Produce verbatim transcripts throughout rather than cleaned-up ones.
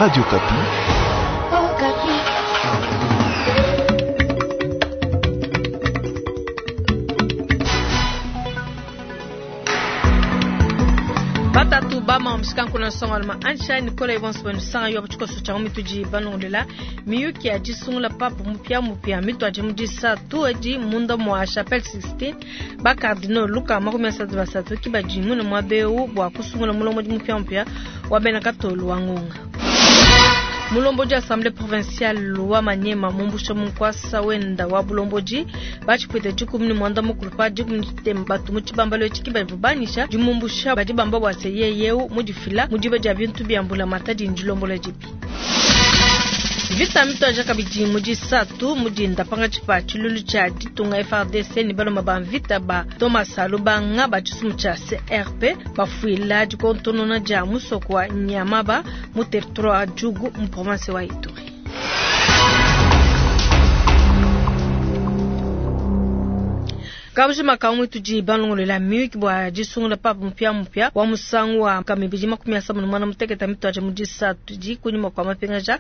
Radio Okapi. Batatu bama mshikanku na nsonga alma ansha Nicola Ibonso benu sanga yo bachikoso cha mituji banongolela miyuki ya disungula papu mupia mupia mitu aje mudisa tu edi munda mwa Chapelle Sixtine ba cardinal Luka makumi asatu basatu ki bajimu na mwabeu bwa kusungula mulomo di mupia mupia wa bena katolu wa ngonga. Mulomboji Assemblée provinciale wa Maniema mumbusha munkwasa wenda wa bulomboji bachipwete dikumi ni mwanda mukulu pa dikumi ni batu mu tshibambalo etshi badi banisha dimumbusha badi bamba bua se yeyeu mudifila mudiba dia bintu bia mbula matadi ndilombola dibi. Vita mitoja kabidi mudisatu mudinda panga tshipa tshilulu tshia ditunga F R D C ni baloma ba mvita ba Thomas Lubanga ba tshisumu tshia C R P bafuila dikontonona dia musoko wa Nyamaba mu territoire wa Djugu mu province wa Ituri. Kabujima kamwe tudi balongolela miyuki bua disungula papu mupia mupia wa musangu wa kamibidi makumi asambano mwana muteketa mitoja mudisatu di kunyuma kwa mapengaja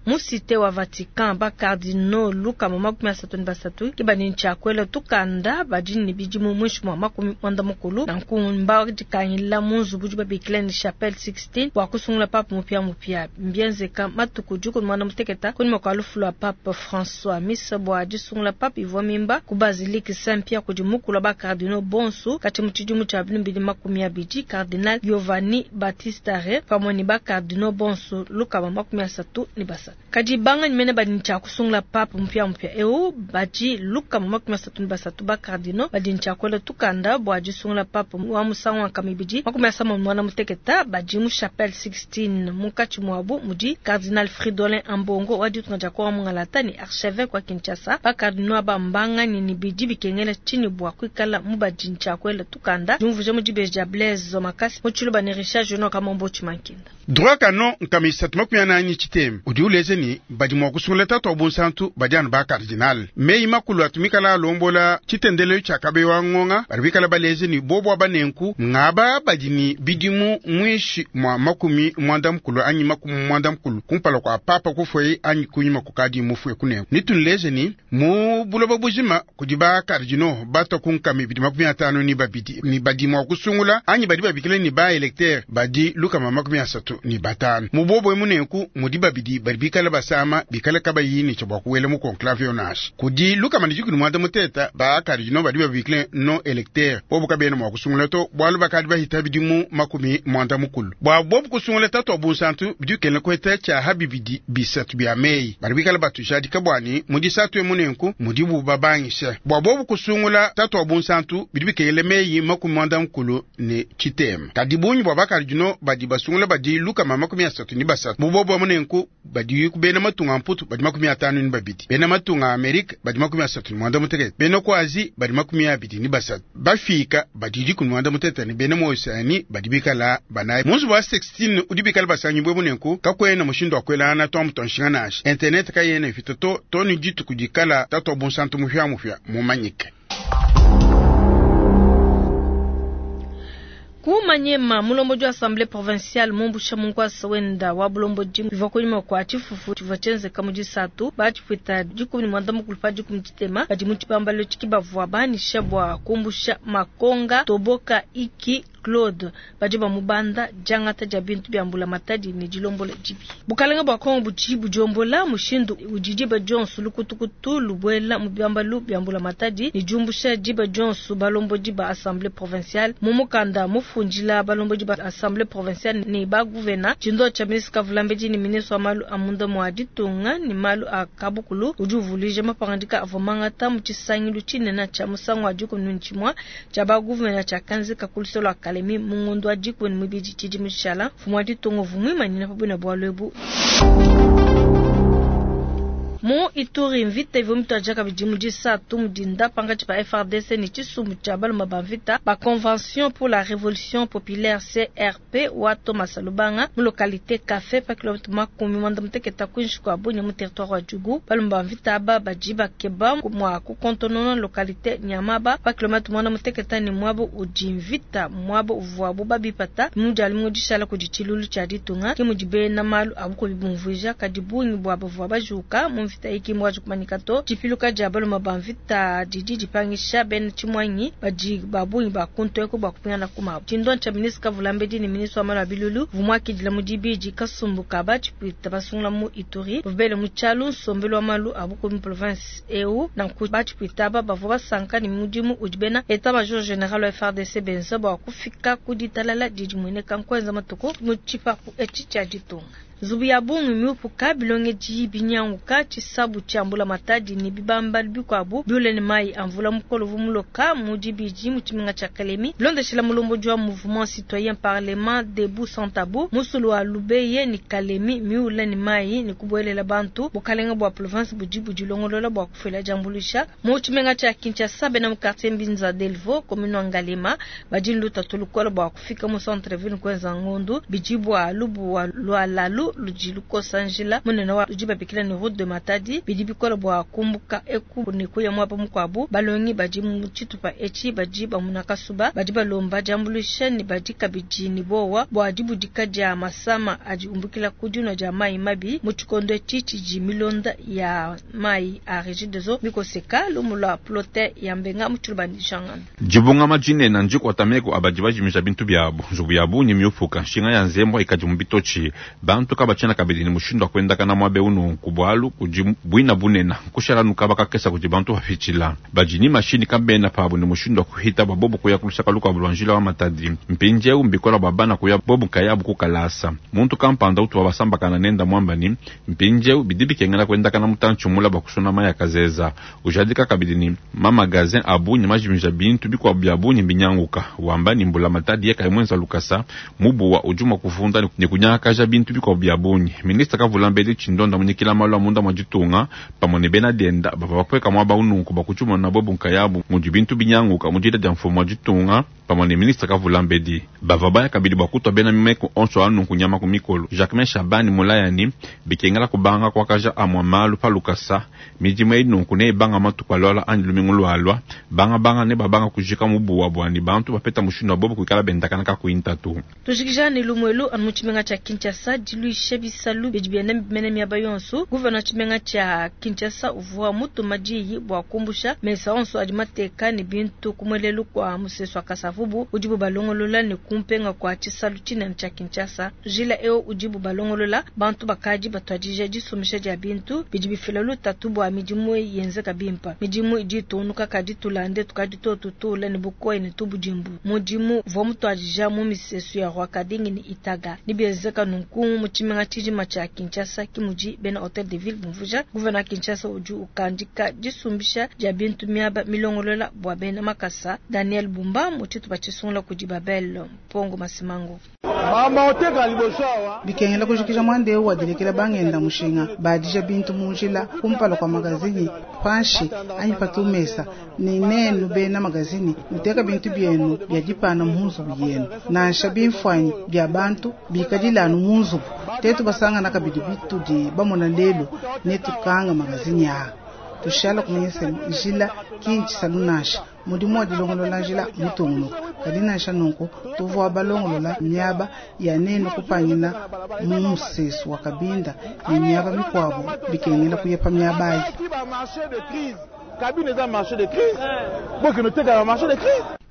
mu cité wa Vatican ba cardinal Luka makumi asatu ni basatu kibani nchakwela tukanda badi ni bidimu mwishi mwa makumi mwanda mukulu na nkumba dikangila mu nzubu di babikila ni Chapelle Sixtine bua kusungula papu mupia mupia mbienzeka matuku dikumi mwana muteketa kunyuma kwa lufu lwa Pape François misa bua disungula papu ivua mimba ku basilique Saint-Pierre kudi mukulu ba cardinal Bonsu kati mu tshidimu tshia bili makumi abidi cardinal Giovanni Battista Re pamwe ni ba cardinal Bonsu Luka ba makumi asatu ni basatu kadi banga nyimene badi ntshia kusungula pape mpya mpya eu badi Luka ba makumi asatu ni basatu ba cardinal badi ntshia kwela tukanda bua disungula pape wa musangu wa kamibidi makumi asambano mwana muteketa badi mu Chapelle Sixtine munkatshi muabu mudi cardinal Fridolin Ambongo wa ditunga dia Kongo mungalata ni archevêque wa Kinshasa ba cardinal ba mbanga ni bidi bikengela chini bua kuikala mubadi ntshakwela tukanda jumvuje mudibeji dia Blaise Makasi mutshiluba ne Richard Jono Kamombo Tshimankinda. Droit canon nkamisatu makumi anani tshitema udi uleze ni badi mua kusungula tatu wa bunsantu badi anu ba cardinal meyi makulu atumikala alombola tshitendelo tshia kabewa ngonga badi bikala baleze ni bobo abanenku ngaba badi ni bidimu mwishi mwa makumi mwanda mukulu anyi makumi mwanda mukulu kumpala kwa papa kufwe anyi kunyuma kukadi mufwe kunenku nitunleze ni mu buloba bujima kudi ba cardinal bato kunkami bidi makumi atanu ni babidi ni badi mua kusungula anyi badi babikile ni ba électeur badi luka makumi asatu ni batanu mubobo emunenku mudi babidi badi bikala basama bikala kabayini tshia kuwela mu conclave yonashi kudi luka manijikuni mwanda muteta ba cardinal badi babikile non électeur bobo kabena mua kusungula to bwalu bakadi bahita bidimu makumi mwanda mukulu bwa bobo kusungula tatu wa bunsantu bidi kena kweta tshia habibidi bisatu bya meyi badi bikala batujadi kabwani mudi satu emunenku mudi bubabangisha bwa bobo kusungula tatu wa bunsantu bidi bikele meyi makumi mwanda mukulu ne tshitema kadi bunyi bwa bakardino badi basungula badi luka makumi asatu ni basatu mubobo amunenku badi kubena matunga mputu badi makumi atanu ni babidi bena matunga Amerika badi makumi asatu ni mwanda mutekete bena ku Azi badi makumi abidi ni basatu bafika badi dikumi mwanda mutete ni bena moisani badi bikala banayi munzu wa sixteen udi bikala basanyi bwe munenku kakwena mushindu wa kwelana to mutonshinga nashi internet kayena ifito to toni jitu kudikala tatu wa bunsantu mufya mufya mumanyike. Kumanyema mulomboji wa Assemblée provinciale mumbusha munkwasa wenda wa bulomboji bivua kunyuma kwa tshifufu tshivua tshienzeka mu disatu batshipwita dikumi ni mwanda mukulu pa dikumi tshitema badi mu tshibambalo tshiki bavua banisha bua kumbusha makonga toboka iki Claude badi bamubanda diangata dia bintu bia mbula matadi ne dilombola dibi. Bukalenga bua Kongo budi budiombola mushindu udi diba dionso lukutukutu lubwela mu biyambalu bia mbula matadi ne diumbusha diba dionso balombodi ba Assemblée provinciale mu mukanda mufundila balombodi ba Assemblée provinciale ne ba gouverneur tshindo tshia ministre Kavulambedi ne ministre wa malu a munda mua ditunga ne malu a kabukulu udi uvuluija mapangandika avua mangata mu tshisangilu tshinene tshia musangu wa dikumi ne tshimue tshia ba gouverneur tshia kanzika ku lusolo lua Kalemi mungondo wa dikumi ne mibidi tshidimu tshishala mfumu wa ditunga uvua muimanyina pa buina bualu ebu. Mu Ituri, mvita ivua mituadija kabidi mu disatu mu dinda pankatshi pa F R D C ne tshisumbu tshia balume ba mvita ba Convention pour la Révolution Populaire C R P wa Thomas Lubanga mu localité Café pa kilomètre makumi muanda mutekete kuinshi kua Bunia mu territoire wa Djugu. Balume ba mvita aba badi bakeba mua kukontonona localité Nyamaba pa kilomètre muanda mutekete ne muaba udi mvita muaba uvuabu babipata mu dialumingu dishala kudi tshilulu tshia ditunga ke mudi bena malu abu kubumvuija kadi bungi bua bavua bajuka mu mvita iki mwaji kumanyika to. Tshipiluka dia balume ba mvita didi dipangisha bena tshimwanyi badi babungi ba kuntu eko bua kupingana ku mabu. Tshindo tshia ministre Kavulambedi ne ministre wa malu a bilulu vumwakidila mu dibidi kasumbu ka batshipwita basungula mu Ituri bavubele mu tshialu nsombelu wa malu a bukomi mu province eu nanku batshipwita aba bavua basanka ne mudimu udi bena état major général wa F R D C benza bua kufika ku ditalala didi mueneka nkuenza matuku mu tshipapu etshi tshia ditunga. Nzubu ya bungi miupuka bilongeji binyanguka tshisabu tshia mbula matadi ne bibamba bikuabu biule ne mayi a mvula mukolo vumuloka mu dibidi mu tshimenga tshia Kalemi. Bilondeshela mulombodi wa mouvement citoyen parlement debout sans tabou musulu wa Lubeye ni Kalemi miule ne mayi ne kubuelela bantu bukalenga bua province budi budilongolola bua kufela diambuluisha mu tshimenga tshia Kinshasa bena mu quartier Mbinza Delvaux commune wa Ngalema badi lutatu lukola bua kufika mu centre ville kwenza ngondu bidi bua lubu wa lwalalu ludi lukosa njila munene wa ludi babikila ne route de Matadi bidi bikola bua kumbuka eku ne kuya muaba mukuabu balongi badi mu tshitupa etshi badi bamuna kasuba badi balomba diambuluisha ne badi kabidi ne bowa bua dibudika dia masama adi umbukila ku dinua dia mayi mabi mu tshikondo etshi tshidi milonda ya mayi a Regideso mikoseka lumu lua plote ya mbenga mu tshilubandishangana. Dibungama dinene ndikuatameko abadi bajimisha bintu byabo nzubu ya bungi miupuka nshinga ya nzembwa ikadi mu bitochi bantu kabachena kabidi ni mushindo wa kwenda kana mwabe unu kubwalu kudi bwina bunena kushala nukaba kakesa kudi bantu bafichila bajini mashini kabena pabu ni mushindo wa kuhita babobo kuya kulusaka luka bulwanjila wa Matadi mpinje umbikola babana kuya bobu kayabu kukalasa muntu kampanda utu babasamba kana nenda mwambani mpinje bidibikengela kwenda kana mutanchu mula bakusona maya kazeza ujadika kabidi ni mamagazin abu ni majimija bintu bikwa bya bunyi binyanguka wamba ni mbula Matadi yeka imwenza lukasa mubuwa ujuma kuvunda ni kunyakaja bintu bikwa bya bunyi ministre Kavulambedi chindonda munyikila malu amunda mwajitunga pamwe ne bena denda bava bakweka mwaba ununku bakuchuma na bobu nkayabu mudi bintu binyanguka mudida dia mfumo mwajitunga pamwe ne ministre Kavulambedi bava baya kabidi bakutwa bena mimeko onso anunku nyama ku mikolo Jacquemain Shabani mulayani bikengela kubanga kwakaja amwa malu palukasa midimu inunku ne banga matuku alwala anyi lumingu lwalwa banga banga ne babanga kujika mubuwa bwani bantu bapeta mushindo bobu kuikala bendakana ka kuintatu tujikija ne lumwelu anu mu tshimenga tshimenga Kinshasa diluisha bisalu bidi bienda bimene miaba yonso gouverneur tshimenga tshimenga Kinshasa uvua mutuma diyi bua kumbusha mesa onso adi mateka ne bintu kumwelelu kwa musesu wa Kasavubu udibu balongolola ne kumpenga kwa tshisalu tshinene tshia Kinshasa jila eo udibu balongolola bantu bakadi batuadija disumisha dia bintu bidi bifila lutatu bua midimu yenzeka bimpa midimu idi itunuka kadi tulande tukadi totutula ne bukoyi ne tubudimbu mudimu uvua mutuadija mu misesu ya Rwakadingi ne Itaga nibienzeka nunku mu tshimenga tshijima tshia Kinshasa kimudi bena Hotel de Ville bumvuja gouverneur Kinshasa udi ukandika disumbisha dia bintu miaba milongolola bua bena makasa Daniel Bumba mu tshitupa tshisungula kudi Babel Mpongo Masimango. Bikengela kujikija mwande wadilekela bangenda mushinga badija bintu munjila kumpala kwa magazini panshi anyi patumesa ni nenu bena magazini muteka bintu byenu bya dipana munzu yenu nansha bimfwanyi bya bantu bikadilanu munzu tetu basangana kabidi bitudi bamona lelo netukanga magazini ya tushala kumanyisa njila kinchi salunasha mudimu wa dilongolola njila mutungunuka kadi nansha nunku tuvua balongolola miaba ya nenu kupangina mu musesu wa kabinda ne miaba mikuabu bikengela kuyepa miaba ayi.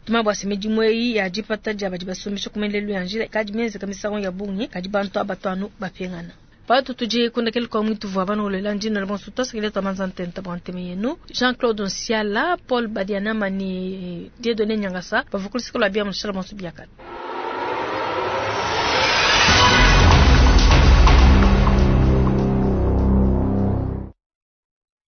Tuma bwa midimu eyi ya dipata dia badi basumbisha kumelelu ya njila kadi mienzeka misangu ya bungi kadi bantu abatwanu bapengana. Patu tuje kundakele kwa mwitu vwa bana olela ndino la bonso tosa tamanza ntenta bwanteme yenu Jean-Claude Nsiala Paul Badiana mani Dieudonné Nyangasa bavukulisiko la bia mushala bonso biakata.